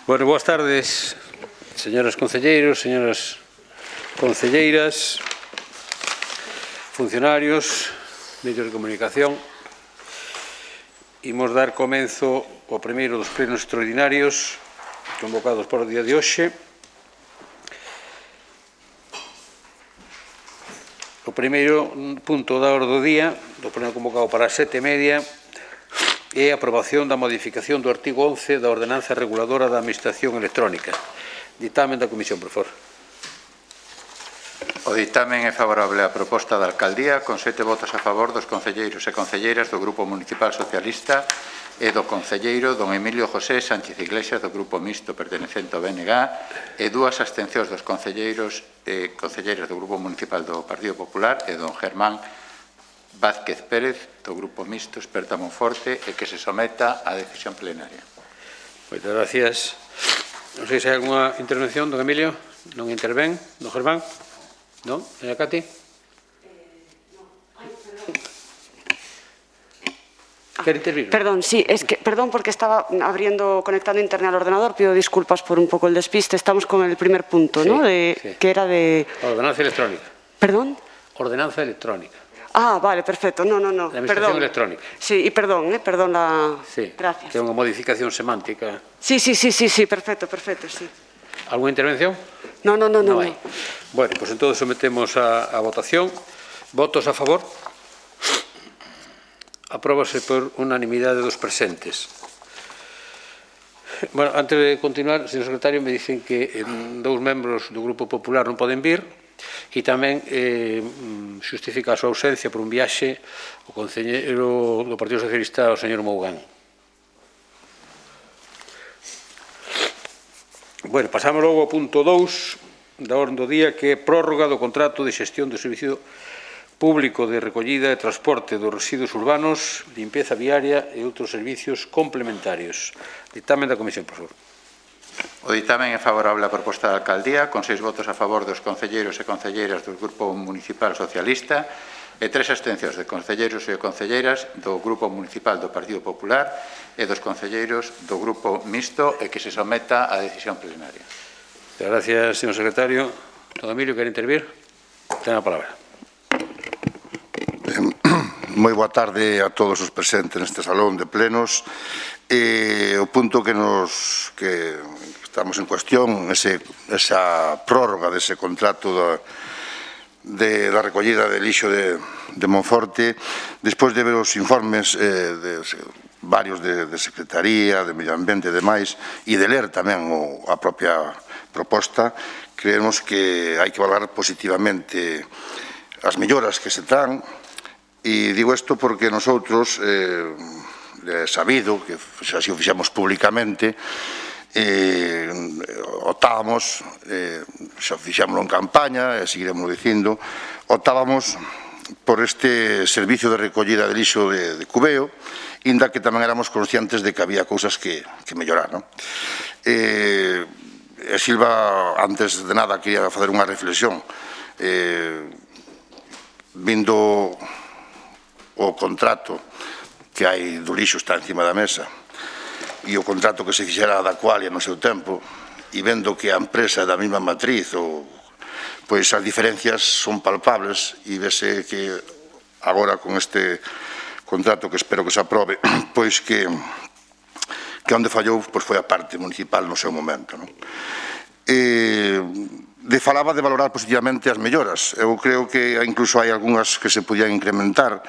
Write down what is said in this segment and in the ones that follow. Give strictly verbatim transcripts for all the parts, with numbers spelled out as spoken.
Bueno, boas tardes, señoras concelleiros, señoras concelleiras, funcionarios, medios de comunicación. Imos dar comenzo ao primeiro dos plenos extraordinarios convocados para o día de hoxe. O primeiro punto da orde do día, do pleno convocado para as sete e media, é a aprobación da modificación do artigo once da Ordenanza Reguladora da Administración Electrónica. Ditamen da Comisión, por favor. O ditamen é favorable á proposta da Alcaldía, con sete votos a favor dos concelleiros e concelleiras do Grupo Municipal Socialista e do concelleiro don Emilio José Sánchez Iglesias do Grupo Mixto pertenecente ao B N G e dúas abstencións dos concelleiros e concelleiras do Grupo Municipal do Partido Popular e don Germán Vázquez Pérez do Grupo Mixto Esperta Monforte e que se someta á decisión plenaria. Moitas gracias. Non sei se hai alguna intervención, don Emilio. Non intervén, don Germán. Non? Doña Cati? ¿Quer intervir? Perdón, sí, es que, perdón porque estaba abriendo, conectando internet al ordenador, pido disculpas por un poco el despiste. Estamos con el primer punto, sí, ¿no? De, sí. Que era de... Ordenanza electrónica. ¿Perdón? Ordenanza electrónica. Ah, vale, perfecto. No, no, no. La administración perdón. electrónica. Sí, y perdón, ¿eh? Perdón la... Sí, gracias. que é unha modificación semántica. Sí, sí, sí, sí, sí, perfecto, perfecto, sí. ¿Alguna intervención? No, no, no, no. No hai. Bueno, pues entonces sometemos a, a votación. Votos a favor. Apróbase por unanimidade dos presentes. Bueno, antes de continuar, señor secretario, me dicen que eh, dous membros do Grupo Popular non poden vir e tamén eh, xustifica a súa ausencia por un viaxe o concelleiro do Partido Socialista, o señor Mougán. Bueno, pasamos logo ao punto dous da orde do día, que é prórroga do contrato de xestión do servicio público de recollida e transporte dos residuos urbanos, limpeza viaria e outros servicios complementarios. Ditamen da Comisión, por favor. O ditamen é favorable á proposta da Alcaldía, con seis votos a favor dos concelleiros e concelleiras do Grupo Municipal Socialista e tres abstencións de concelleiros e concelleiras do Grupo Municipal do Partido Popular e dos concelleiros do Grupo Mixto e que se someta á decisión plenaria. Gracias, señor secretario. Don Emilio, quer intervir? Ten a palabra. Moi boa tarde a todos os presentes neste salón de plenos. E o punto que nos que estamos en cuestión, ese, esa prórroga dese contrato da, de, da recollida de lixo de, de Monforte, despois de ver os informes eh, de, varios de, de Secretaría, de Medio Ambiente e demais, e de ler tamén o, a propia proposta, creemos que hai que valorar positivamente as melloras que se traen. E digo isto porque nosotros, eh, é sabido, que así o fixemos públicamente, eh, optábamos, eh, xa fixémoslo en campaña, e seguiremos dicindo, optábamos por este servicio de recollida de lixo de, de Cubeo, inda que tamén éramos conscientes de que había cousas que, que mellorar, non? Eh, e Silva, antes de nada, quería facer unha reflexión. Eh, vindo o contrato que hai do lixo está encima da mesa e o contrato que se fixera da Aqualia no seu tempo, e vendo que a empresa é da mesma matriz, ou, pois as diferencias son palpables, e vese que agora con este contrato que espero que se aprobe, pois que que onde fallou pois foi a parte municipal no seu momento, non? E de falaba de valorar positivamente as melloras. Eu creo que incluso hai algunhas que se podían incrementar,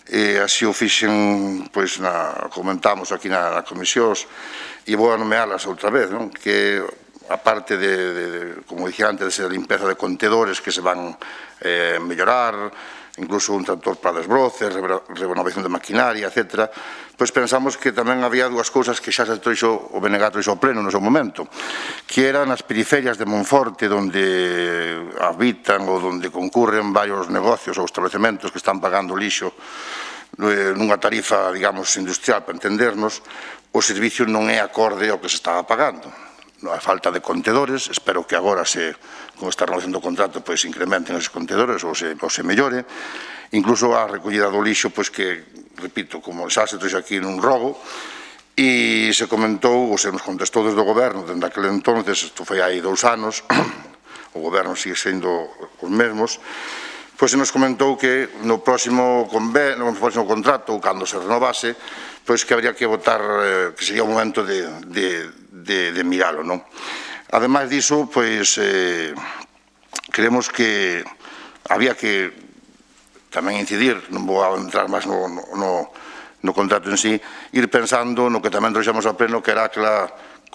e así o fixen, pois, na, comentamos aquí na, na comisión, e vou a nomealas outra vez, non? Que a parte de, de, de como dixía antes, de limpeza de contedores que se van eh, mellorar, incluso un tractor para desbroces, renovación de maquinaria, etcétera, pois pensamos que tamén había dúas cousas que xa se trouxo o B N G trouxo ao pleno no seu momento, que eran as periferias de Monforte, onde habitan ou onde concurren varios negocios ou establecementos que están pagando lixo nunha tarifa, digamos, industrial, para entendernos, o servicio non é acorde ao que se estaba pagando. A falta de contedores, espero que agora se, con esta renovación do contrato, pois incrementen esos contedores ou se, ou se mellore. Incluso a recollida do lixo, pois que, repito, como xa se trouxe aquí nun rogo, e se comentou, ou se nos contestou desde o goberno, dende aquel entonces, isto foi hai dous anos, o goberno sigue sendo os mesmos, pois se nos comentou que no próximo convenio, no próximo contrato, ou cando se renovase, pois que habría que votar, que sería o momento de, de, de, de miralo, non? Ademais diso, pois, eh, creemos que había que tamén incidir, non vou a entrar máis no, no, no contrato en sí, ir pensando no que tamén trouxemos ao pleno, que era aquela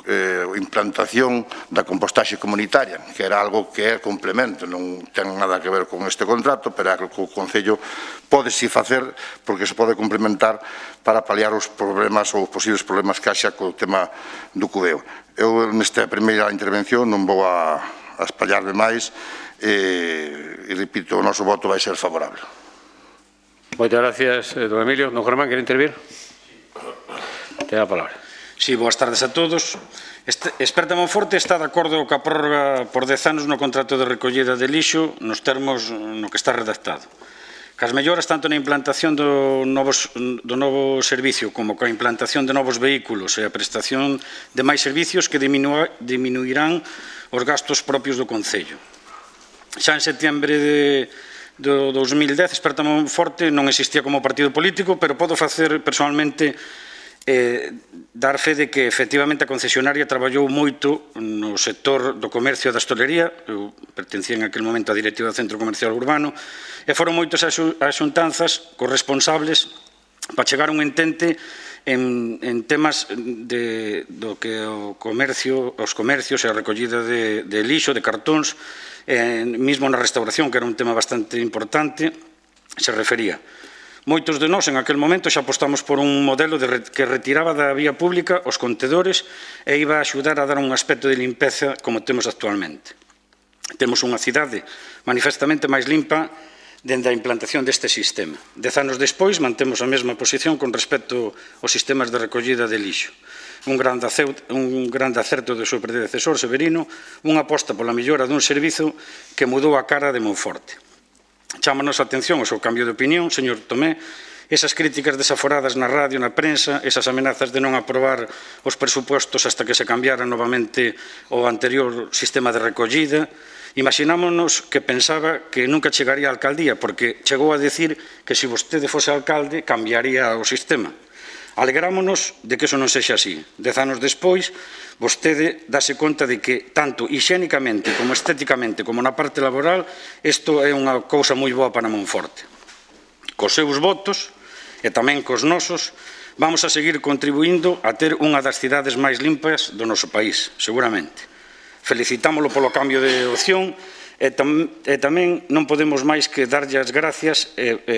eh, implantación da compostaxe comunitaria, que era algo que é complemento, non ten nada que ver con este contrato, pero é algo que o Concello pode si facer, porque se pode complementar para paliar os problemas ou os posibles problemas que haxa co tema do cubeo. Eu, nesta primeira intervención, non vou a, a espallarme máis, e, e repito, o noso voto vai ser favorable. Moitas gracias, don Emilio. Don Germán, quere intervir? Ten a palabra. Sí, boas tardes a todos. Este, Esperta Monforte está de acordo ca prórroga por dez anos no contrato de recollida de lixo nos termos no que está redactado. Cas melloras tanto na implantación do, novos, do novo servicio como coa implantación de novos vehículos e a prestación de máis servicios que diminua, diminuirán os gastos propios do Concello. Xa en setembro de do dos mil dez, Esperta Monforte non existía como partido político, pero podo facer personalmente eh, dar fe de que efectivamente a concesionaria traballou moito no sector do comercio e da hostalería. Eu pertencía en aquel momento á directiva do Centro Comercial Urbano, e foron moitos as xuntanzas corresponsables para chegar a un entente en, en temas de, do que o comercio, os comercios e a recollida de, de lixo, de cartóns, Eh, mismo na restauración, que era un tema bastante importante, se refería. Moitos de nós en aquel momento xa apostamos por un modelo de re, que retiraba da vía pública os contedores e iba a axudar a dar un aspecto de limpeza como temos actualmente. Temos unha cidade manifestamente máis limpa dende a implantación deste sistema. Dez anos despois mantemos a mesma posición con respecto aos sistemas de recollida de lixo. Un grande, acerto, un grande acerto do seu predecesor Severino, unha aposta pola mellora dun servizo que mudou a cara de Monforte. Chámanos a atención o seu cambio de opinión, señor Tomé, esas críticas desaforadas na radio, na prensa, esas amenazas de non aprobar os presupostos hasta que se cambiara novamente o anterior sistema de recollida. Imaxinámonos que pensaba que nunca chegaría á alcaldía, porque chegou a decir que se vostede fose alcalde cambiaría o sistema. Alegrámonos de que eso non sexa así. Dez anos despois, vostede dase conta de que, tanto higiénicamente como estéticamente, como na parte laboral, isto é unha cousa moi boa para Monforte. Cos seus votos, e tamén cos nosos, vamos a seguir contribuindo a ter unha das cidades máis limpas do noso país, seguramente. Felicitámolo polo cambio de opción, E, tam, e tamén non podemos máis que darlle as gracias e, e,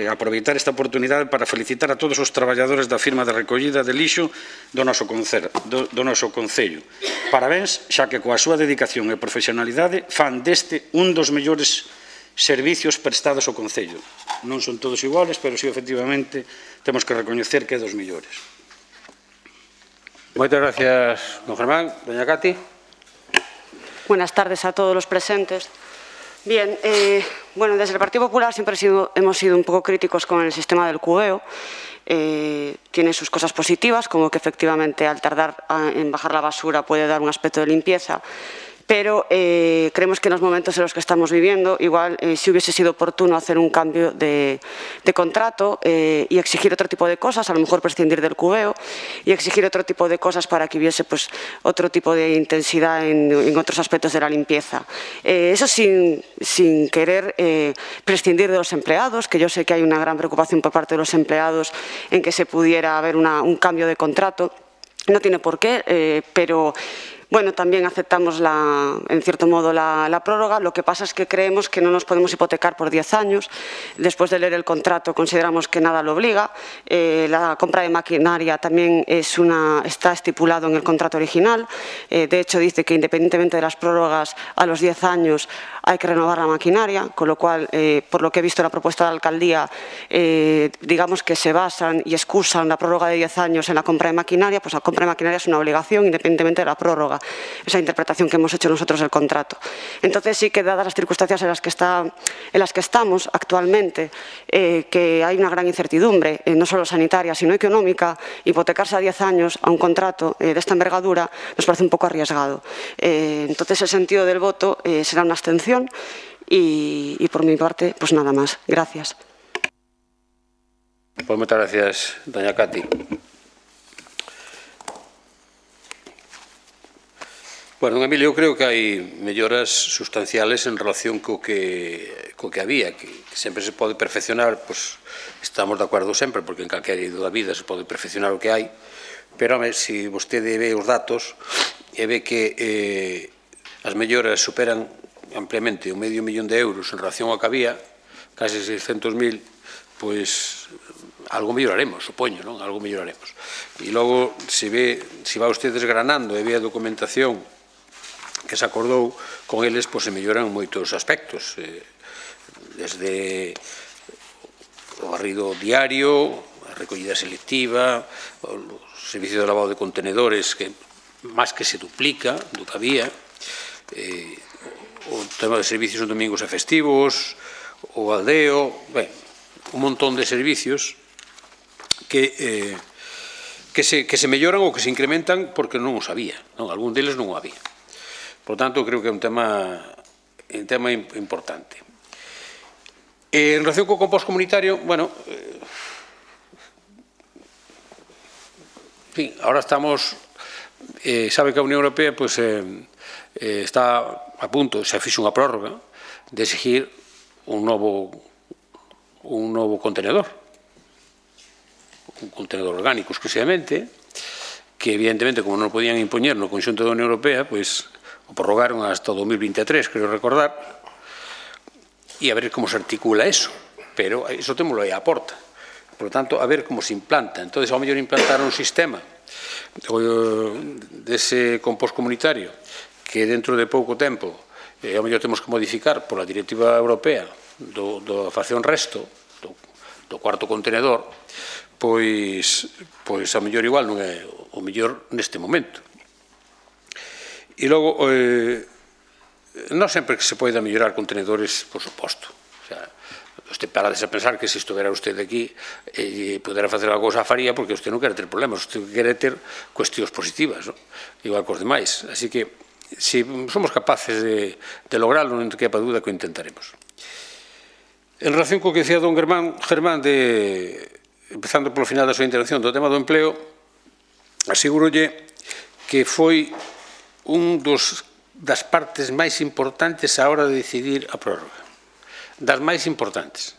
e aproveitar esta oportunidade para felicitar a todos os traballadores da firma de recollida de lixo do noso, concer, do, do noso Concello. Parabéns, xa que coa súa dedicación e profesionalidade fan deste un dos mellores servicios prestados ao Concello. Non son todos iguales, pero si efectivamente temos que recoñecer que é dos mellores. Moitas gracias, don Germán. Doña Cati. Buenas tardes a todos los presentes. Bien, eh, bueno, desde el Partido Popular siempre sido, hemos sido un poco críticos con el sistema del cubeo. Eh, tiene sus cosas positivas, como que efectivamente al tardar a, en bajar la basura puede dar un aspecto de limpieza, pero eh, creemos que en los momentos en los que estamos viviendo, igual eh, si hubiese sido oportuno hacer un cambio de, de contrato eh, y exigir otro tipo de cosas, a lo mejor prescindir del cubeo y exigir otro tipo de cosas para que hubiese pues, otro tipo de intensidad en, en otros aspectos de la limpieza. Eh, eso sin, sin querer eh, prescindir de los empleados, que yo sé que hay una gran preocupación por parte de los empleados en que se pudiera haber una, un cambio de contrato. No tiene por qué, eh, pero... Bueno, también aceptamos, la, en cierto modo, la, la prórroga. Lo que pasa es que creemos que no nos podemos hipotecar por diez años. Después de leer el contrato, consideramos que nada lo obliga. Eh, la compra de maquinaria también es una, está estipulado en el contrato original. Eh, de hecho, dice que independientemente de las prórrogas, a los diez años hay que renovar la maquinaria, con lo cual, eh, por lo que he visto en la propuesta de la alcaldía, eh, digamos que se basan y excusan la prórroga de diez años en la compra de maquinaria, pues la compra de maquinaria es una obligación independientemente de la prórroga. esa interpretación que hemos hecho nosotros del contrato. Entonces sí que dadas las circunstancias en las que, está, en las que estamos actualmente, eh, que hay una gran incertidumbre, eh, no solo sanitaria, sino económica, hipotecarse a diez años a un contrato eh, de esta envergadura nos parece un poco arriesgado. Eh, entonces el sentido del voto eh, será una abstención y, y por mi parte, pues nada más. Gracias. Pues moitas gracias, doña Cati. Bueno, don Emilio, eu creo que hai melloras sustanciales en relación co que, co que había, que, que sempre se pode perfeccionar, pois estamos de acordo sempre, porque en calquera eido da vida se pode perfeccionar o que hai, pero, home, se vostede ve os datos e ve que eh, as melloras superan ampliamente o medio millón de euros en relación ao que había, case seiscentos mil, pois algo melloraremos, supoño, non? Algo melloraremos. E logo, se ve, se va usted desgranando e ve a documentación que se acordou con eles, pois se melloran moitos aspectos, eh, desde o barrido diario, a recollida selectiva, o servicio de lavado de contenedores que máis que se duplica do que había, eh, o tema de servicios en domingos e festivos, o aldeo, ben, un montón de servicios que, eh, que, se, que se melloran ou que se incrementan porque non os había, non? Algún deles non o había. Por tanto, creo que é un tema, un tema importante. Eh, en relación co compost comunitario, bueno, eh, en fin, ahora estamos, eh, sabe que a Unión Europea pues, eh, eh, está a punto, se fixo unha prórroga de exigir un novo, un novo contenedor, un contenedor orgánico exclusivamente, que evidentemente, como non podían impoñer no conxunto da Unión Europea, pois o prorrogaron hasta o dos mil vinte e tres, creo recordar, e a ver como se articula eso, pero iso témolo aí á porta. Por lo tanto, a ver como se implanta. Entón, ao mellor implantar un sistema dese compost comunitario que dentro de pouco tempo eh, ao mellor temos que modificar pola directiva europea do, do facción resto, do, do cuarto contenedor, pois, pois a mellor igual non é o mellor neste momento. E logo, eh, non sempre que se poida mellorar contenedores, por suposto. O sea, usted parades a pensar que se estuvera usted aquí e eh, pudera facer a cousa a faría porque usted non quere ter problemas, usted quere ter cuestións positivas, ¿no? Igual cos demais. Así que, se somos capaces de, de lograrlo, non te quepa dúda que o intentaremos. En relación co que decía don Germán, Germán de, empezando polo final da súa intervención, do tema do empleo, asegúrolle que foi un dos, das partes máis importantes a hora de decidir a prórroga. Das máis importantes.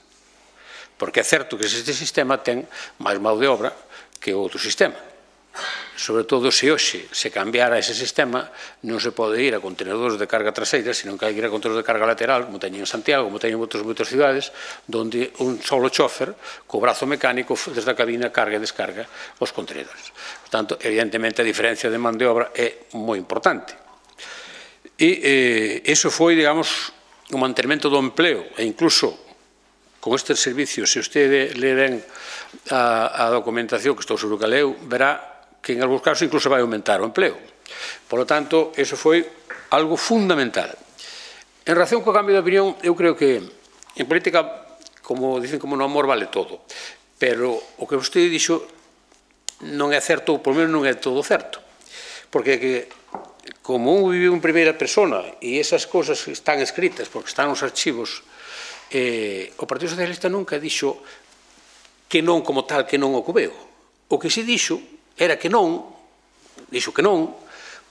Porque é certo que este sistema ten máis mão de obra que outro sistema. Sobre todo se hoxe se cambiara ese sistema, non se pode ir a contenedores de carga traseira, senón que hai que ir a contenedores de carga lateral, como teñen en Santiago, como teñen en outras, outras cidades, onde un solo chofer, co brazo mecánico, desde a cabina, carga e descarga os contenedores. Por tanto, evidentemente, a diferencia de man de obra é moi importante. E eh, eso foi, digamos, o mantenimento do empleo, e incluso con estes servicios, se usted le den a, a documentación, que estou seguro que leu, verá que en algúns casos incluso vai aumentar o empleo. Por lo tanto, eso foi algo fundamental. En relación co cambio de opinión, eu creo que en política, como dicen, como no amor vale todo, pero o que vostede dixo non é certo, ou por menos non é todo certo, porque que como un vive en primeira persona e esas cousas están escritas porque están nos archivos, eh, o Partido Socialista nunca dixo que non como tal, que non o cubeu. O que se dixo era que non, dixo que non,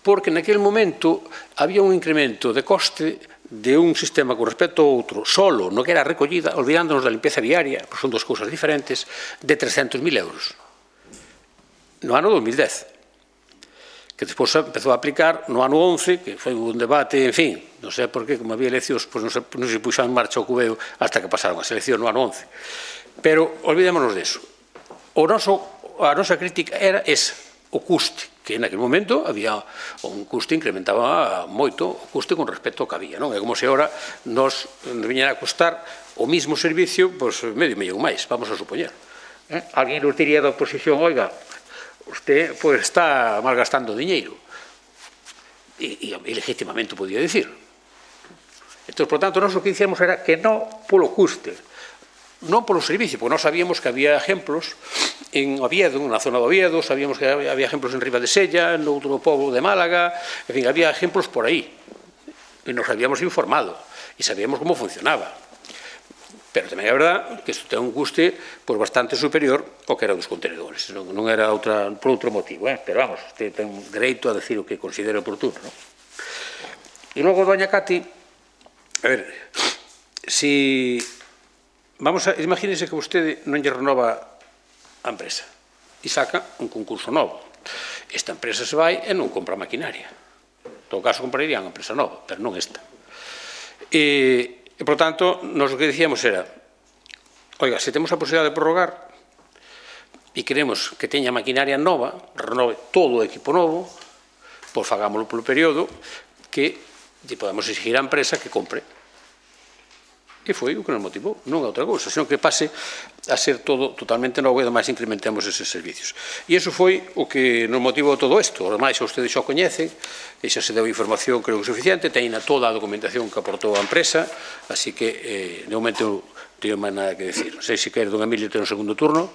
porque naquele momento había un incremento de coste de un sistema con respecto a outro, solo no que era a recollida, olvidándonos da limpeza viaria, pois son dos cousas diferentes, de trescentos mil euros. No ano dos mil dez. Que despois empezou a aplicar no ano once, que foi un debate, en fin, non sei por qué, como había eleccións, pois non se, non se puxo en marcha o cubeo hasta que pasaron a selección no ano once. Pero olvidémonos deso. O noso a nosa crítica era esa, o custe, que naquele momento había un custe, incrementaba moito o custe con respecto ao que había, non? É como se agora nos viñera a costar o mismo servicio, pois medio millón máis, vamos a supoñer. Eh? Alguén nos diría da oposición, oiga, usted pois está malgastando diñeiro. e, e legítimamente podía dicir. Entón, por tanto, nós o que dicíamos era que non polo custe, non polo servicio, porque nós sabíamos que había exemplos en Oviedo, na zona de Oviedo, sabíamos que había exemplos en Riva de Sella, no outro pobo de Málaga, en fin, había exemplos por aí. E nos habíamos informado, e sabíamos como funcionaba. Pero tamén é verdad que isto ten un custe por bastante superior ao que era dos contenedores. Non, non era outra, por outro motivo, eh? Pero vamos, este ten dereito a decir o que considere oportuno, non? E logo, doña Cati, a ver, si... Vamos a... Imagínense que vostede non lle renova a empresa e saca un concurso novo. Esta empresa se vai e non compra maquinaria. En todo caso, comprarían a empresa nova, pero non esta. E... E, por tanto, nos o que dicíamos era, oiga, se temos a posibilidade de prorrogar e queremos que teña maquinaria nova, renove todo o equipo novo, pois fagámoslo polo período que lle podemos exigir á empresa que compre. E foi o que nos motivou, non é outra cousa, senón que pase a ser todo totalmente novo e ademais incrementemos eses servicios. E iso foi o que nos motivou todo isto. Ademais, ustedes xa o coñecen, e xa se deu información, creo que suficiente, teñen toda a documentación que aportou a empresa, así que, eh, de momento, non teño máis nada que decir. Non sei se quer, don Emilio, ter un segundo turno.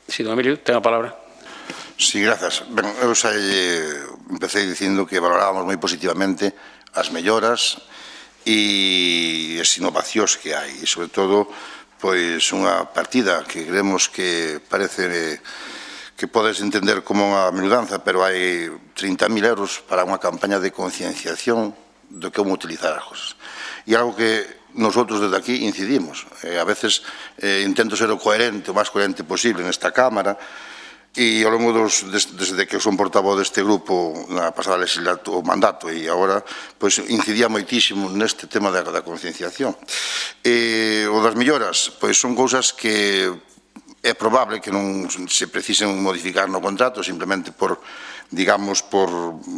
Si, don Emilio, ten a palabra. Sí, grazas. Ben, eu xa eh, empecé dicindo que valorábamos moi positivamente as melloras e as innovacións que hai, e sobre todo pois unha partida que creemos que parece que podes entender como unha menudanza, pero hai trinta mil euros para unha campaña de concienciación do que como utilizar as cosas. E algo que nosotros desde aquí incidimos, eh, a veces eh, intento ser o coherente, o máis coherente posible nesta Cámara, e ao longo dos, desde que son portavoz deste grupo na pasada legislatura, o mandato, e agora pois, incidía moitísimo neste tema da, da concienciación. E o das melloras, pois son cousas que é probable que non se precisen modificar no contrato simplemente por, digamos, por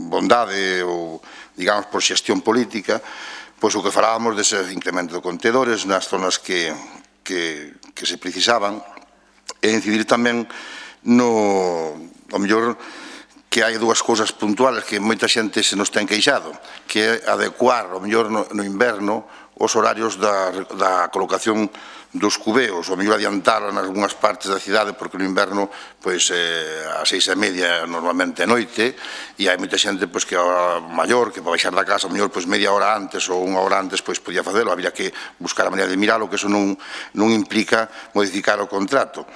bondade ou, digamos, por xestión política, pois o que falábamos dese incremento de contedores nas zonas que, que, que se precisaban, e incidir tamén no, ao mellor, que hai dúas cousas puntuales que moita xente se nos ten queixado, que é adecuar, ao mellor, no, no inverno, os horarios da, da colocación dos cubeos, ao mellor adiantar en algunhas partes da cidade, porque no inverno, pois, eh, a seis e media normalmente é noite, e hai moita xente, pois, que a hora maior, que para baixar da casa, ao mellor, pois, media hora antes ou unha hora antes, pois, podía facelo, habría que buscar a maneira de miralo, que eso non, non implica modificar o contrato.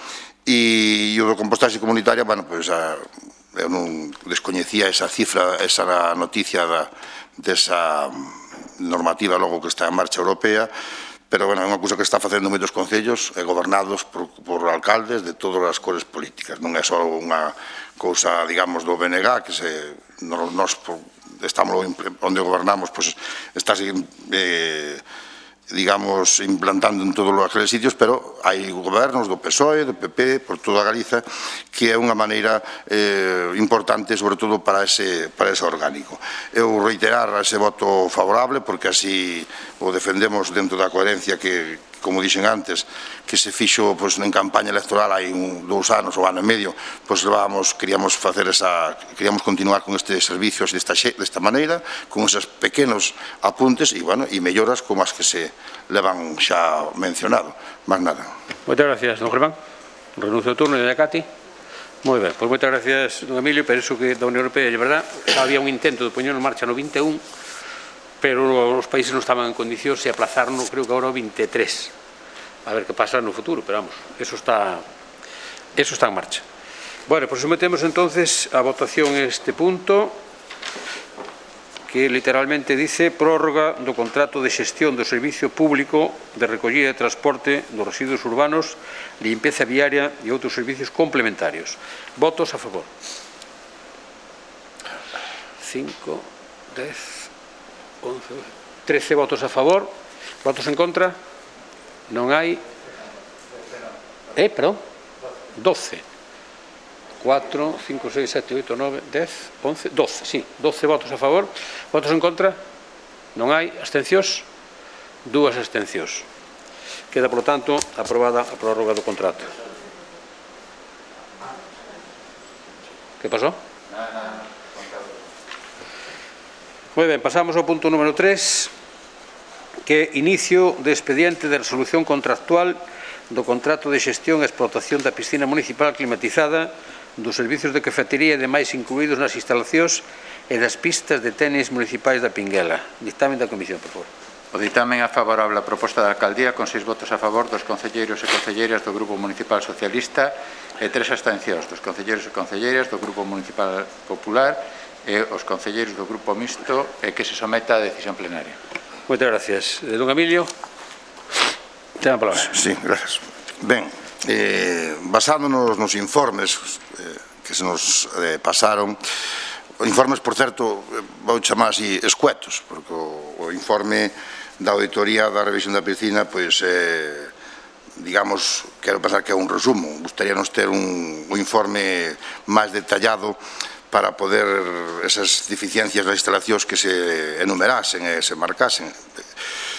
E o do compostaxe comunitaria, bueno, pois, a, eu non descoñecía esa cifra, esa noticia da, desa normativa logo que está en marcha europea, pero, bueno, é unha cousa que está facendo moitos concellos eh, gobernados por, por alcaldes de todas as cores políticas. Non é só unha cousa, digamos, do B N G, que se, nos estamos onde gobernamos, pois, está eh, digamos, implantando en todos aqueles sitios, pero hai gobernos do P S O E, do P P, por toda Galiza, que é unha maneira eh, importante, sobre todo, para ese, para ese orgánico. Eu reiterar ese voto favorable, porque así o defendemos dentro da coherencia que, como dixen antes, que se fixo pois, en campaña electoral hai un, dous anos ou ano e medio, pois levábamos, queríamos facer esa, queríamos continuar con este servicio desta, desta maneira, con esos pequenos apuntes e, bueno, e melloras como as que se levan xa mencionado. Más nada. Moitas gracias, don Germán. Renuncio ao turno de Cati. Moi ben, pois moitas gracias, don Emilio. Penso que da Unión Europea, de verdad, xa había un intento de poñer en marcha no vinte e un, pero os países non estaban en condicións de aplazarlo, creo que agora o vinte e tres. A ver que pasa no futuro, pero vamos, eso está, eso está en marcha. Bueno, pues sometemos entonces a votación este punto, que literalmente dice prórroga do contrato de xestión do servicio público de recollida e transporte dos residuos urbanos, limpeza viaria e outros servicios complementarios. Votos a favor. cinco, dez, once, trece votos a favor. Votos en contra? Non hai. Eh, perdón? doce. cuatro, cinco, seis, sete, oito, nove, dez, once, doce, sí, doce votos a favor. Votos en contra? Non hai. Abstencións? Dúas abstencións. Queda, por lo tanto, aprobada a prórroga do contrato. Que pasou? Moi ben, pasamos ao punto número tres, que é inicio de expediente de resolución contractual do contrato de xestión e explotación da piscina municipal climatizada, dos servizos de cafetería e demais incluídos nas instalacións e das pistas de tenis municipais da Pinguela. Dictamen da Comisión, por favor. O ditamen é favorable á proposta da Alcaldía con seis votos a favor dos concelleiros e concelleiras do Grupo Municipal Socialista e tres abstencións dos concelleiros e concelleiras do Grupo Municipal Popular e os concelleiros do Grupo Mixto e que se someta a decisión plenaria. Moitas gracias. Don Emilio, ten a palabra. Sí, gracias. Ben, eh, basándonos nos informes eh, que se nos eh, pasaron, informes, por certo, vou chamar así escuetos, porque o, o informe da auditoría da revisión da piscina, pois, eh, digamos, quero pensar que é un resumo. Gustaríanos ter un, un informe máis detallado para poder esas deficiencias nas instalacións que se enumerasen e se marcasen.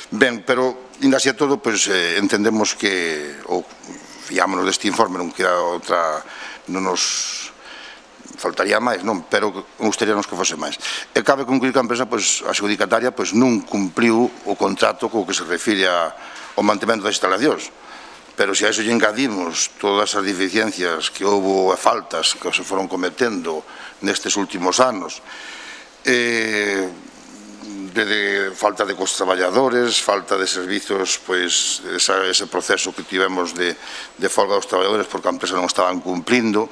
Ben, pero, ainda así a todo, pois, eh, entendemos que, ou fiámonos deste informe, non queda outra, non nos faltaría máis, non, pero gustaríanos que fose máis. E cabe concluir que a empresa, pois, a adjudicataria, pois, non cumpliu o contrato co que se refire ao mantemento das instalacións. Pero se a iso lle engadimos todas as deficiencias que houve e faltas que se foron cometendo nestes últimos anos, eh, de, de falta de cos traballadores, falta de servizos, pois esa, ese proceso que tivemos de, de folga dos traballadores porque a empresa non estaban cumplindo.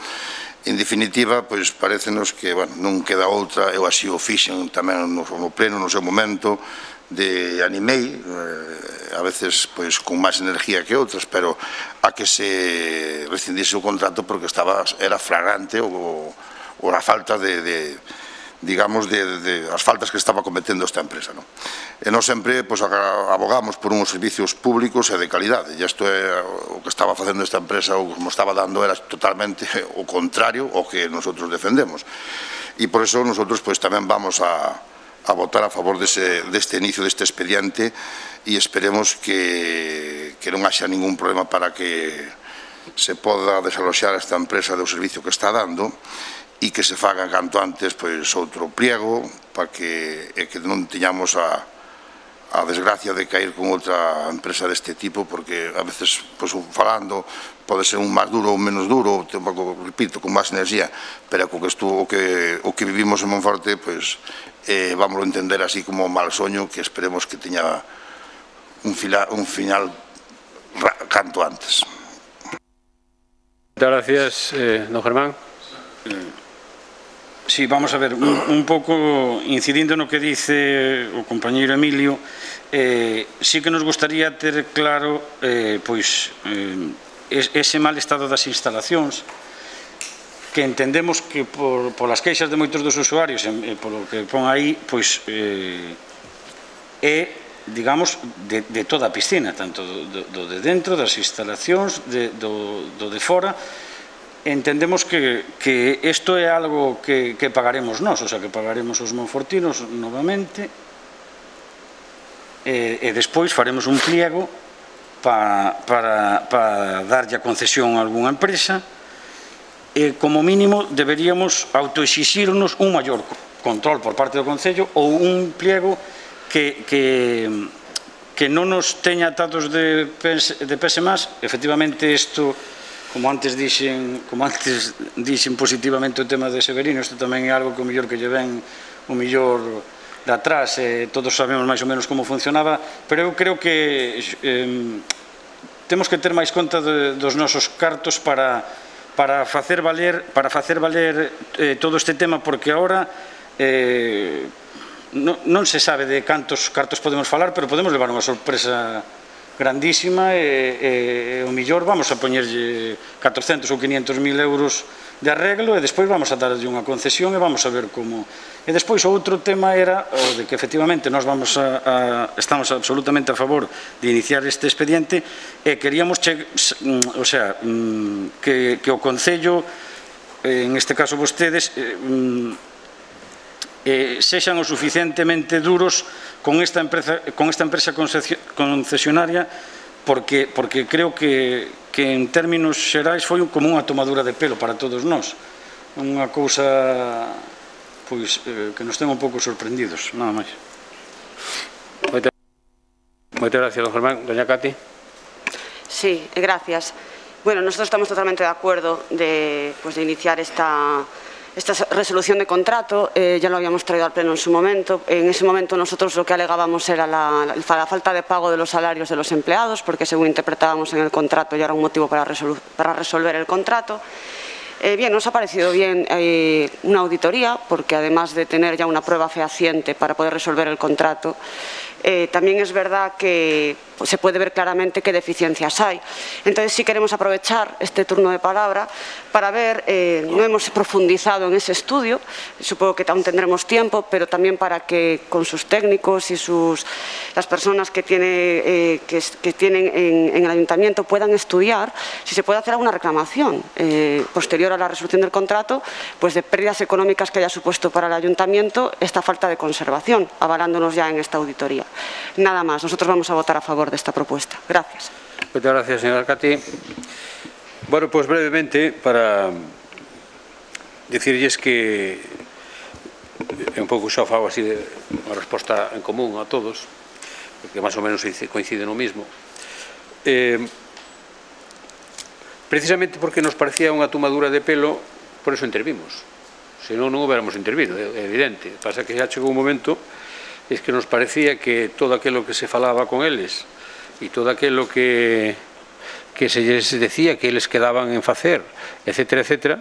En definitiva, pois parecenos que, bueno, non queda outra, eu así o fixen tamén no, no pleno, no seu momento, de animei, eh, a veces pois con máis energía que outras, pero a que se rescindise o contrato porque estaba, era flagrante o, o a falta de, de digamos, de, de as faltas que estaba cometendo esta empresa, non? E nós sempre pois, abogamos por uns servicios públicos e de calidade, e isto é o que estaba facendo esta empresa, ou como estaba dando era totalmente o contrario ao que nosotros defendemos, e por eso nosotros pois tamén vamos a a votar a favor dese, deste inicio deste expediente e esperemos que, que non haxa ningún problema para que se poda desaloxar esta empresa do servicio que está dando e que se faga canto antes pois, outro pliego para que, e que non teñamos a, a desgracia de caer con outra empresa deste tipo, porque a veces pois, falando pode ser un máis duro ou menos duro, tampouco, repito, con máis enerxía, pero co que estuvo, o que, o que vivimos en Monforte, pois, eh, vamos a entender así como mal soño, que esperemos que teña un, fila, un final canto antes. Muchas gracias, eh, don Germán. Sí, vamos a ver, un, un pouco incidindo no que dice o compañeiro Emilio, eh, sí que nos gustaría ter claro, eh, pois, eh, ese mal estado das instalacións, que entendemos que por, por as queixas de moitos dos usuarios e polo que pon aí, pois eh, é, digamos, de, de toda a piscina, tanto do, do de dentro, das instalacións, de, do, do de fora. Entendemos que, que isto é algo que, que pagaremos nós, o sea, que pagaremos os monfortinos novamente e, e despois faremos un pliego para, para, para darlle a concesión a algunha empresa e como mínimo deberíamos autoexixirnos un maior control por parte do Concello ou un pliego que, que, que non nos teña atados de pés, de pés e más. Efectivamente isto, como antes dixen, como antes dixen positivamente o tema de Severino, isto tamén é algo que o mellor que lle ven o mellor de atrás, eh, todos sabemos máis ou menos como funcionaba, pero eu creo que eh, temos que ter máis conta de, dos nosos cartos para, para facer valer, para facer valer eh, todo este tema, porque agora eh, non, non se sabe de cantos cartos podemos falar, pero podemos levar unha sorpresa grandísima e, e o millor vamos a poñerlle catrocentos ou quinientos mil euros de arreglo e despois vamos a darlle unha concesión e vamos a ver como. E despois o outro tema era o de que efectivamente nós vamos a, a, estamos absolutamente a favor de iniciar este expediente e queríamos che, o sea, que, que o Concello, en este caso vostedes, eh, sexan o suficientemente duros con esta empresa, con esta empresa concesionaria, porque, porque creo que, que en términos xerais foi como unha tomadura de pelo para todos nós, unha cousa pois eh, que nos ten un pouco sorprendidos, nada máis. Moitas, moitas gracias, don Germán. Doña Cati. Sí, gracias. Bueno, nosotros estamos totalmente de acuerdo de, pues, de iniciar esta, esta resolución de contrato. Eh, ya lo habíamos traído al Pleno en su momento. En ese momento nosotros lo que alegábamos era la, la, la falta de pago de los salarios de los empleados, porque según interpretábamos en el contrato ya era un motivo para, resolu para resolver el contrato. Eh, bien, nos ha parecido bien eh, una auditoría, porque además de tener ya una prueba fehaciente para poder resolver el contrato, eh, también es verdad que pues, se puede ver claramente qué deficiencias hay. Entonces sí queremos aprovechar este turno de palabra para ver, eh, no hemos profundizado en ese estudio, supongo que aún tendremos tiempo, pero también para que con sus técnicos y sus, las personas que, tiene, eh, que, que tienen en, en el ayuntamiento puedan estudiar si se puede hacer alguna reclamación eh, posterior a la resolución del contrato, pues de pérdidas económicas que haya supuesto para el ayuntamiento esta falta de conservación, avalándonos ya en esta auditoría. Nada más, nosotros vamos a votar a favor de esta propuesta. Gracias. Muchas gracias, señora Cati. Bueno, pues brevemente, para decirles que é un pouco xa fago así de unha resposta en común a todos, porque máis ou menos coincide no mismo. Eh, precisamente porque nos parecía unha tomadura de pelo, por eso intervimos. Senón non hubiéramos intervido, é evidente. Pasa que xa chegou un momento es que nos parecía que todo aquilo que se falaba con eles e todo aquilo que, que se lles decía que eles quedaban en facer, etcétera, etcétera,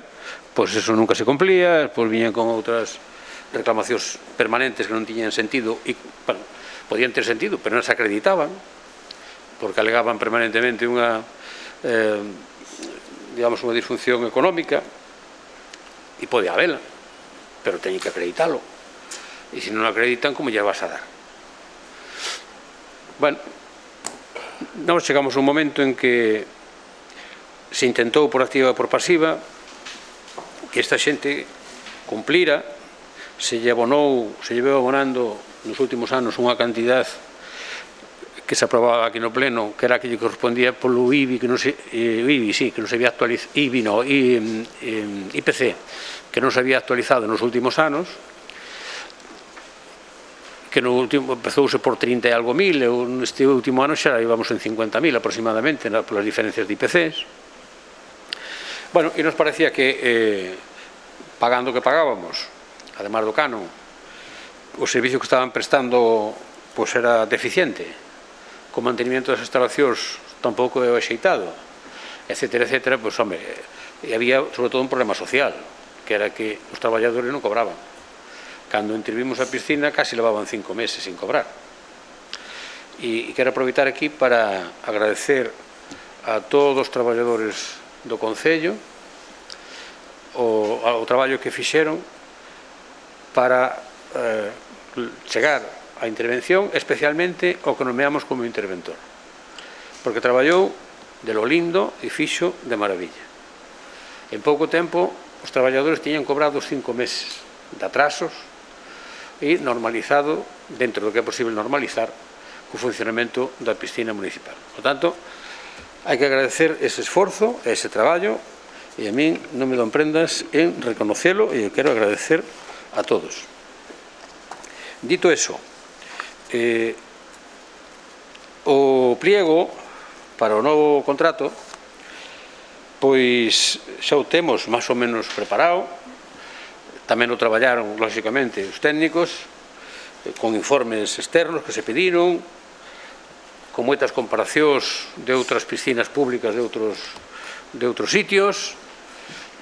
pois eso nunca se cumplía, pois viñan con outras reclamacións permanentes que non tiñan sentido e, bueno, podían ter sentido, pero non se acreditaban, porque alegaban permanentemente unha, eh, digamos, unha disfunción económica, e pode habela, pero teñen que acreditalo. E se non lo acreditan, como lle vas a dar? Bueno, nós chegamos a un momento en que se intentou por activa e por pasiva que esta xente cumplira, se lle abonou, se lle veu abonando nos últimos anos unha cantidad que se aprobaba aquí no Pleno, que era que lle correspondía polo I B I, que non se, eh, I B I, sí, que non se había actualizado, I B I no, I, eh, I P C, que non se había actualizado nos últimos anos, que no último empezouse por trinta e algo mil, e neste último ano xa íbamos en cincuenta mil aproximadamente, polas diferencias de I P Cs. Bueno, e nos parecía que eh, pagando o que pagábamos, además do canon, o servicio que estaban prestando pois era deficiente, co mantenimiento das instalacións tampouco é axeitado, etcétera, etcétera, pois, home, e había sobre todo un problema social, que era que os traballadores non cobraban. Cando intervimos a piscina, casi levaban cinco meses sin cobrar. E, e quero aproveitar aquí para agradecer a todos os traballadores do Concello o, o traballo que fixeron para eh, chegar á intervención, especialmente o que nomeamos como interventor, porque traballou de lo lindo e fixo de maravilla. En pouco tempo os traballadores tiñan cobrado os cinco meses de atrasos e normalizado, dentro do que é posible normalizar, o funcionamento da piscina municipal. Por tanto, hai que agradecer ese esforzo, ese traballo, e a min non me don prendas en reconocelo, e eu quero agradecer a todos. Dito eso, eh, o pliego para o novo contrato, pois xa o temos máis ou menos preparado. Tamén o traballaron, lóxicamente, os técnicos, con informes externos que se pediron, con moitas comparacións de outras piscinas públicas de outros, de outros sitios,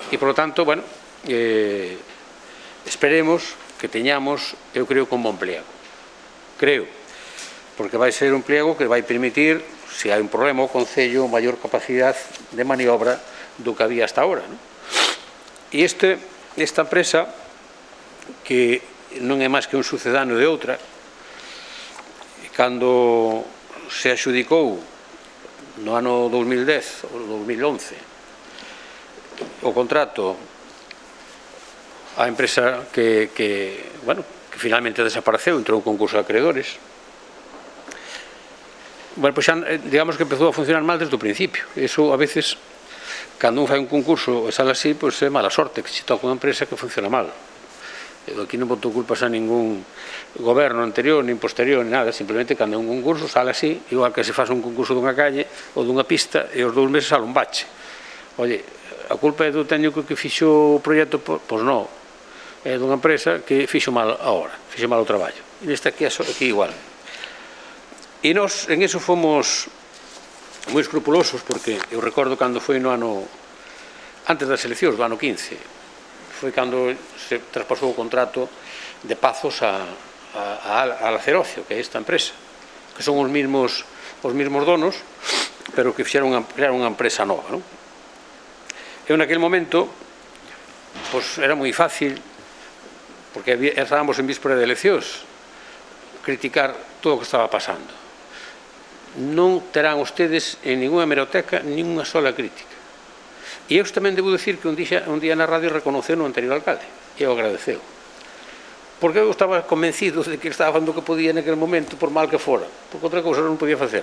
e, por lo tanto, bueno, eh, esperemos que teñamos, eu creo, un bon pliego. Creo, porque vai ser un pliego que vai permitir, se hai un problema, o Concello, maior capacidade de maniobra do que había hasta ahora, non? E este... Esta empresa, que non é máis que un sucedáneo de outra, cando se adxudicou no ano dos mil dez ou dos mil once o contrato á empresa que, que, bueno, que finalmente desapareceu, entrou un concurso de acreedores, bueno, pois xa, digamos que empezou a funcionar mal desde o principio. Eso, a veces, cando un fai un concurso e sale así, pois é mala sorte que se toca unha empresa que funciona mal. Aquí non botou culpas a ningún goberno anterior, nin posterior, nin nada, simplemente cando é un concurso sale así, igual que se faz un concurso dunha calle ou dunha pista e os dous meses sale un bache. Oye, a culpa é do técnico que fixo o proxecto? Pois non, é dunha empresa que fixo mal a hora, fixo mal o traballo. E neste aquí, aquí igual. E nós en eso fomos moi escrupulosos, porque eu recordo cando foi no ano antes das eleccións do ano quince, foi cando se traspasou o contrato de Pazos a, a, a Lacerocio, que é esta empresa, que son os mismos, os mismos donos, pero que fixeron crear unha empresa nova, non? Eu naquele momento, pois era moi fácil, porque había, estábamos en víspera de eleccións, criticar todo o que estaba pasando. Non terán ustedes en ninguna hemeroteca ninguna sola crítica. E eu tamén debo dicir que un día, un día na radio reconoceu no anterior alcalde, e eu agradeceu. Porque eu estaba convencido de que ele estaba facendo o que podía naquele momento, por mal que fora, porque outra cousa non podía facer.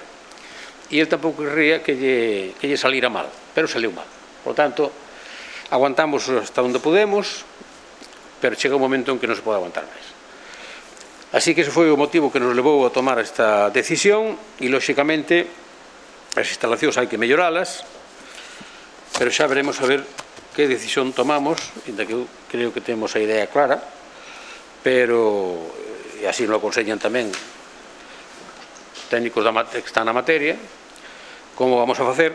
E ele tampouco querría que lle, que lle salira mal, pero saliu mal. Por tanto, aguantamos hasta onde podemos, pero chega un momento en que non se pode aguantar máis. Así que ese foi o motivo que nos levou a tomar esta decisión e, lóxicamente, as instalacións hai que melloralas, pero xa veremos a ver que decisión tomamos, ainda que eu creo que temos a idea clara, pero, e así nos aconsellan tamén os técnicos que están na materia, como vamos a facer,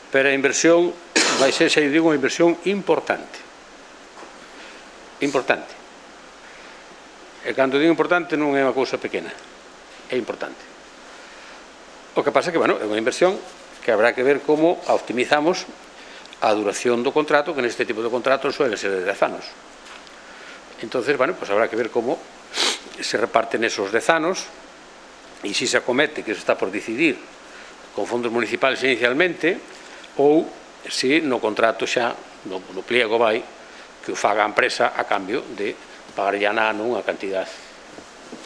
pero a inversión vai ser, xa eu digo, unha inversión importante. Importante. E cando digo importante non é unha cousa pequena, é importante. O que pasa é que, bueno, é unha inversión que habrá que ver como a optimizamos a duración do contrato, que neste tipo de contratos suele ser de dez anos. Entonces, bueno, pues habrá que ver como se reparten esos dez anos e se se acomete, que se está por decidir con fondos municipales inicialmente, ou se no contrato xa, no, no pliego vai, que o faga a empresa a cambio de pagar ya na ano unha cantidad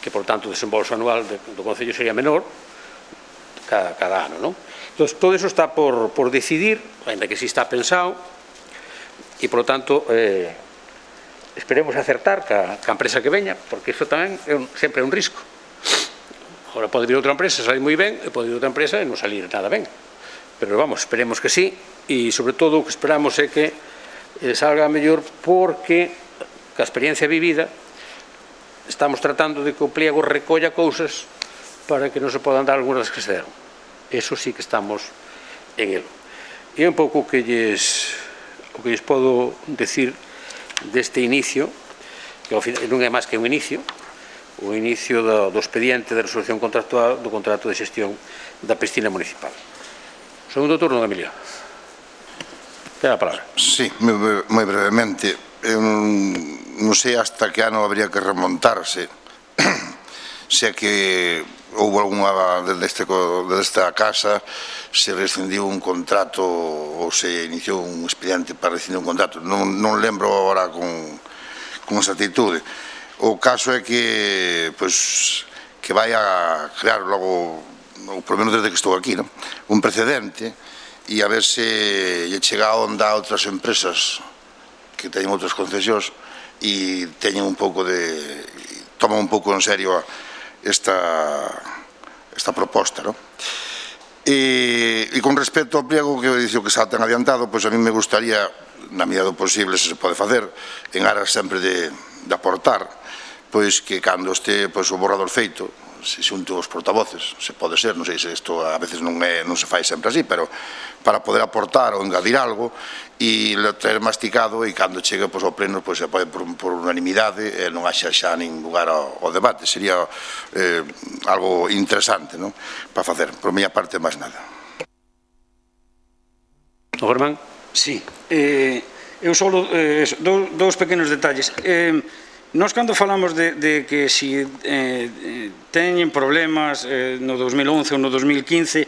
que, por tanto, o desembolso anual do Concello sería menor cada, cada ano, non? Entón, todo eso está por, por decidir, ainda que si está pensado, e, por tanto, eh, esperemos acertar ca, ca empresa que veña, porque iso tamén é un, sempre é un risco. Agora pode vir outra empresa, salir moi ben, e pode vir outra empresa e non salir nada ben. Pero, vamos, esperemos que sí, e, sobre todo, o que esperamos é que eh, salga mellor, porque ca experiencia vivida estamos tratando de que o pliego recolla cousas para que non se podan dar algunhas que se deron. Eso sí que estamos en el. E un pouco que lles, o que lles podo decir deste inicio, que ao final non é máis que un inicio, o inicio do, do expediente de resolución contractual do contrato de xestión da piscina municipal. Segundo turno, Emilio. Ten a palabra. Sí, moi brevemente. Eu non sei hasta que ano habría que remontarse se é que houve alguna desde esta casa se rescindiu un contrato ou se iniciou un expediente para rescindir un contrato, non, non lembro agora con, con esa actitude. O caso é que pois, que vai a crear logo, ou por menos desde que estou aquí, non? Un precedente, e a ver se lle chega a onda a outras empresas que teñen outras concesións e teñen un pouco de, toman un pouco en serio a esta, esta proposta, ¿no? E, e con respecto ao pliego que dixo que xa ten adiantado, pois a mí me gustaría, na medida do posible, se se pode facer, en aras sempre de, de aportar, pois que cando este pois, o borrador feito, se xunto os portavoces, se pode ser, non sei se isto a veces non, é, non se fai sempre así, pero para poder aportar ou engadir algo e ter masticado e cando chegue pois, ao pleno pois, se pode por, por unanimidade e non haxa xa nin lugar ao, ao debate. Sería eh, algo interesante, non? Para facer, por miña parte, máis nada. O Germán? Sí. Eh, eu só eh, dous, dous pequenos detalles. Eh, Nós, cando falamos de, de que si eh, teñen problemas eh, no dos mil once ou no dos mil quince,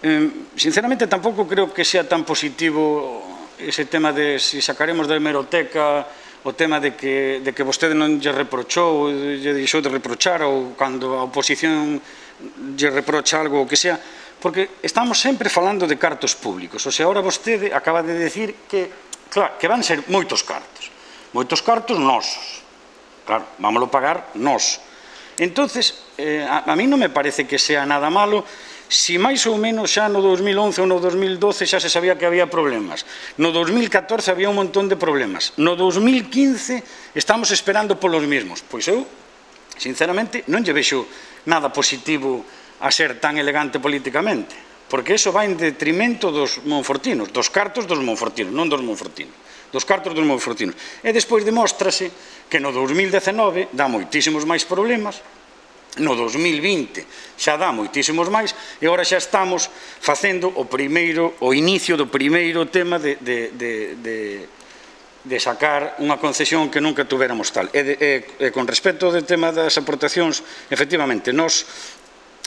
eh, sinceramente tampouco creo que sea tan positivo ese tema de si sacaremos da hemeroteca o tema de que, de que vostede non lle reprochou, lle deixou de reprochar, ou cando a oposición lle reprocha algo o que sea, porque estamos sempre falando de cartos públicos. O sea, ahora vostede acaba de decir que, claro, que van ser moitos cartos, moitos cartos nosos. Claro, vámoslo pagar nós. Entonces, eh, a, a mí non me parece que sea nada malo si máis ou menos xa no dos mil once ou no dos mil doce xa se sabía que había problemas. No dos mil catorce había un montón de problemas. No dos mil quince estamos esperando polos mismos. Pois eu, sinceramente, non lle vexo nada positivo a ser tan elegante políticamente, porque iso vai en detrimento dos monfortinos, dos cartos dos monfortinos, non dos monfortinos, dos cartos dos monfortinos. E despois demóstrase que no dos mil dezenove dá moitísimos máis problemas, no dos mil vinte xa dá moitísimos máis, e agora xa estamos facendo o primeiro, o inicio do primeiro tema de, de, de, de, de sacar unha concesión que nunca tuveramos tal. E, de, e, e con respecto ao tema das aportacións, efectivamente, nós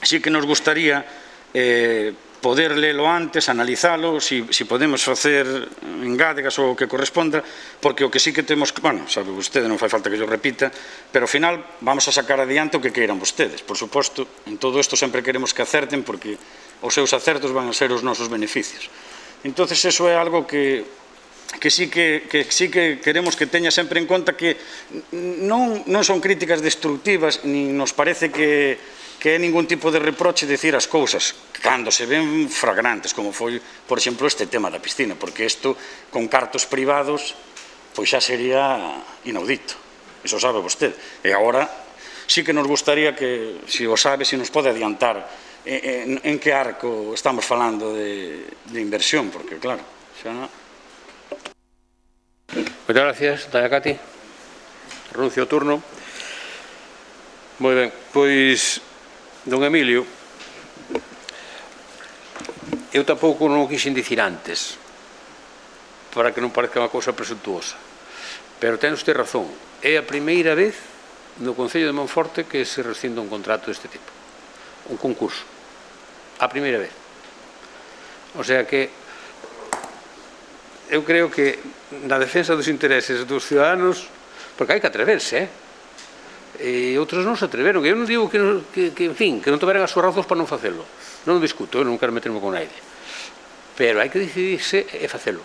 sí que nos gustaría eh, poder lelo antes, analizalo, si, si podemos facer engádegas ou o que corresponda, porque o que sí que temos, bueno, sabe vostede, non fai falta que yo repita, pero ao final vamos a sacar adiante o que queiran vostedes. Por suposto, en todo isto sempre queremos que acerten, porque os seus acertos van a ser os nosos beneficios. Entonces, eso é algo que, que, sí que, que sí que queremos que teña sempre en conta, que non, non son críticas destructivas, ni nos parece que que é ningún tipo de reproche decir as cousas cando se ven flagrantes, como foi, por exemplo, este tema da piscina, porque isto, con cartos privados, pois xa sería inaudito. Iso sabe vostede. E agora, sí que nos gustaría que, se o sabe, se nos pode adiantar en, en que arco estamos falando de, de inversión, porque, claro, xa... Moitas gracias, Tania Cati. Renuncio ao turno. Moi ben, pois... Don Emilio, eu tampouco non o quixen dicir antes, para que non parezca unha cousa presuntuosa, pero ten usted razón, é a primeira vez no Concello de Monforte que se rescinde un contrato deste tipo, un concurso, a primeira vez. O sea que eu creo que na defensa dos intereses dos ciudadanos, porque hai que atreverse, eh? E outros non se atreveron, eu non digo que, que, que en fin, que non tiveran as súas razóns para non facelo, non discuto, eu non quero meterme con naide, pero hai que decidirse e facelo,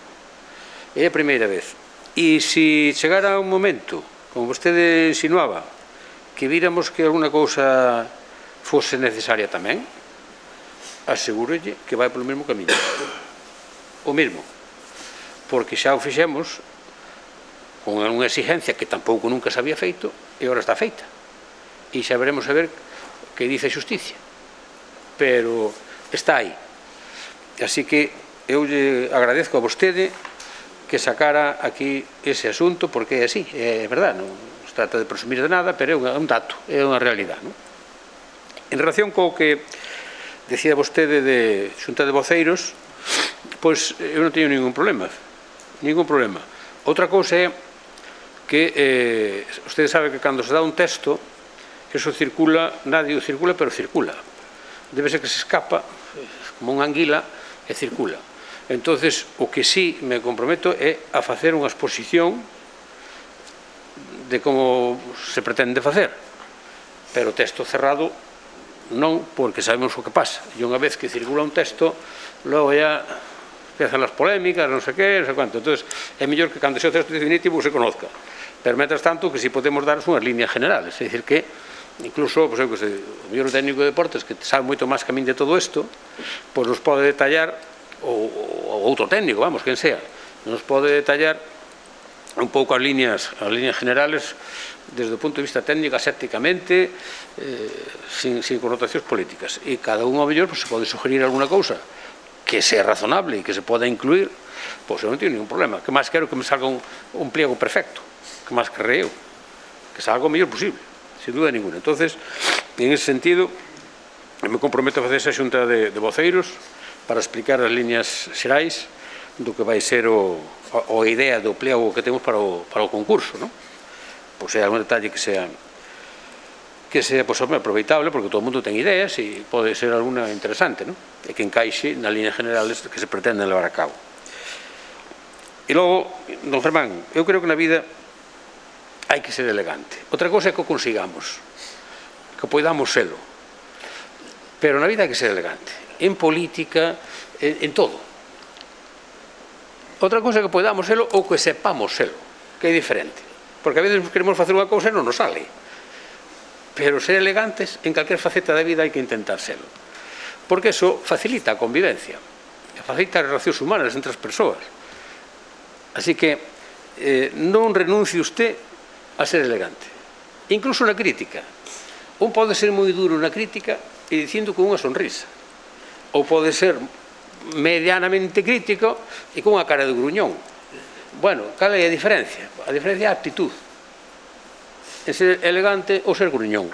é a primeira vez. E se chegara un momento, como vostede insinuaba, que víramos que alguna cousa fose necesaria tamén, asegúrolle que vai polo mesmo camiño, o mesmo, porque xa o fixemos con unha exigencia que tampouco nunca se había feito, e agora está feita. E xa veremos a ver que dice a xusticia. Pero está aí. Así que eu lle agradezco a vostede que sacara aquí ese asunto, porque é así, é verdade, non se trata de presumir de nada, pero é un dato, é unha realidade. Non? En relación co que decía vostede de xunta de voceiros, pois eu non teño ningún problema, ningún problema. Outra cousa é que eh, usted sabe que cando se dá un texto, eso circula, nadie o circula, pero circula. Debe ser que se escapa, como unha anguila, e circula. Entonces, o que sí me comprometo é a facer unha exposición de como se pretende facer. Pero texto cerrado non, porque sabemos o que pasa. E unha vez que circula un texto, logo ya empiezan as polémicas, non sei que, non sei cuánto. Entón, é mellor que cando sea o texto definitivo se conozca. Pero, mentras tanto, que si podemos dar unhas líneas generales. É dicir que, incluso, pois, eu que sei, o mellor técnico de deportes, que sabe moito máis que a min de todo isto, pois nos pode detallar, ou, ou outro técnico, vamos, quen sea, nos pode detallar un pouco as líneas, as líneas generales desde o punto de vista técnico, asépticamente, eh, sin, sin connotacións políticas. E cada un, ao mellor, pois, se pode sugerir alguna cousa que sea razonable e que se poda incluir, pois eu non teño ningún problema. Que máis quero que me salga un, un pliego perfecto, que máis querrei eu, que salga o mellor posible, sin duda ninguna. Entonces, en ese sentido, me comprometo a facer esa xunta de, de voceiros para explicar as líneas xerais do que vai ser o, o, a idea do pliego que temos para o, para o concurso, non? Pois é algún detalle que sea que sea pues, aproveitable, porque todo o mundo ten ideas e pode ser alguna interesante, non? E que encaixe nas líneas generales que se pretenden levar a cabo. E logo, don Germán, eu creo que na vida hai que ser elegante. Outra cosa é que o consigamos, que poidamos selo. Pero na vida hai que ser elegante. En política, en, en todo. Outra cosa é que poidamos selo ou que sepamos selo, que é diferente. porque a veces queremos facer unha cousa e non nos sale. Pero ser elegantes en calquer faceta da vida hai que intentar serlo, porque eso facilita a convivencia, facilita as relacións humanas entre as persoas. Así que eh, non renuncie usted a ser elegante, incluso na crítica. Un pode ser moi duro na crítica e dicindo con unha sonrisa, ou pode ser medianamente crítico e con unha cara de gruñón. Bueno, cal é a diferencia? A diferencia é a actitud, en ser elegante ou ser gruñón.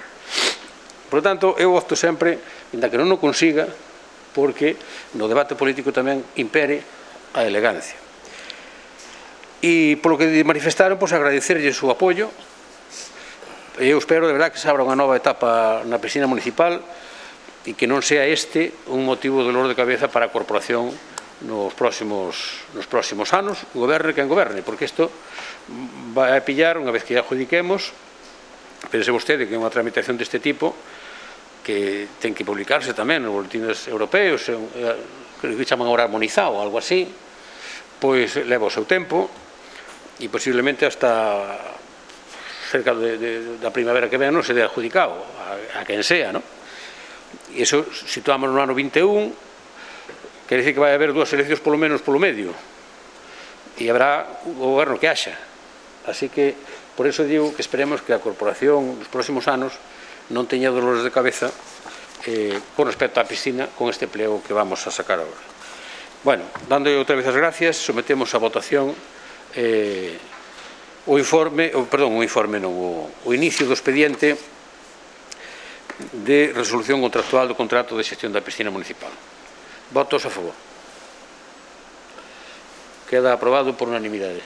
Por tanto, eu opto sempre, ainda que non o consiga, porque no debate político tamén impere a elegancia. E polo que manifestaron, pois agradecerlle o seu apoio. Eu espero, de verdad, que se abra unha nova etapa na piscina municipal e que non sea este un motivo de dolor de cabeza para a corporación nos próximos, nos próximos anos, goberne quen goberne, porque isto vai a pillar, unha vez que adjudiquemos, pense vostede que é unha tramitación deste tipo que ten que publicarse tamén nos boletines europeos, que chaman agora armonizado ou algo así, pois leva o seu tempo e posiblemente hasta cerca de, de, da primavera que ven non se dé adjudicado a, a quen sea, non? E iso situamos no ano vinte e un, quer dizer que vai haber dúas eleccións polo menos polo medio e habrá o goberno que haxa. Así que por eso digo que esperemos que a corporación nos próximos anos non teña dolores de cabeza eh, con respecto á piscina con este pleo que vamos a sacar agora. Bueno, dando outra vez as gracias, sometemos a votación eh, o informe, o, perdón, o informe non, o, o inicio do expediente de resolución contractual do contrato de xestión da piscina municipal. Votos a favor. Queda aprobado por unanimidade.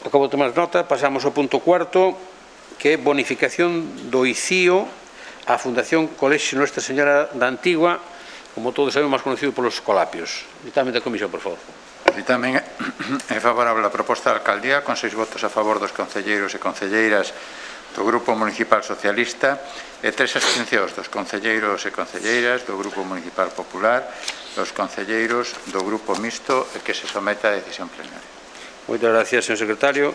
Acabo de tomar nota, pasamos ao punto cuarto, que é bonificación do I C I O á Fundación Colexio Nuestra Señora da Antigua, como todos sabemos, máis conocido polos Colapios. Ditamen da comisión, por favor. Ditamen é favorable a proposta da alcaldía, con seis votos a favor dos concelleiros e concelleiras do Grupo Municipal Socialista e tres abstencións dos concelleiros e concelleiras do Grupo Municipal Popular, dos concelleiros do Grupo Mixto e que se someta a decisión plenaria. Moitas gracias, señor secretario.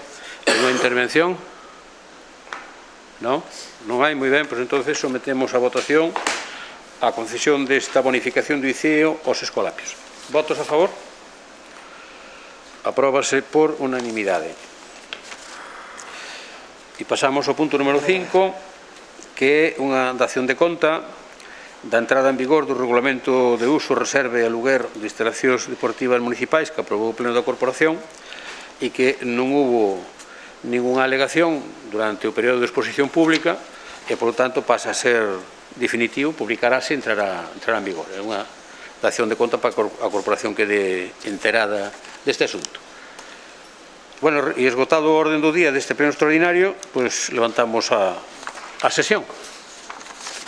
Unha intervención? Non? Non hai? Moi ben, pois entonces sometemos a votación a concesión desta bonificación do I C I O aos Escolapios. Votos a favor? Apróbase por unanimidade. E pasamos ao punto número cinco, que é unha dación de conta da entrada en vigor do Regulamento de Uso, Reserva e Aluguer de Instalacións Deportivas Municipais que aprobou o Pleno da Corporación e que non hubo ninguna alegación durante o período de exposición pública e, por lo tanto, pasa a ser definitivo, publicarase e entrará, entrará en vigor. É unha dación de conta para a corporación que quede enterada deste asunto. Bueno, e esgotado o orden do día deste pleno extraordinario, pois levantamos a, a sesión.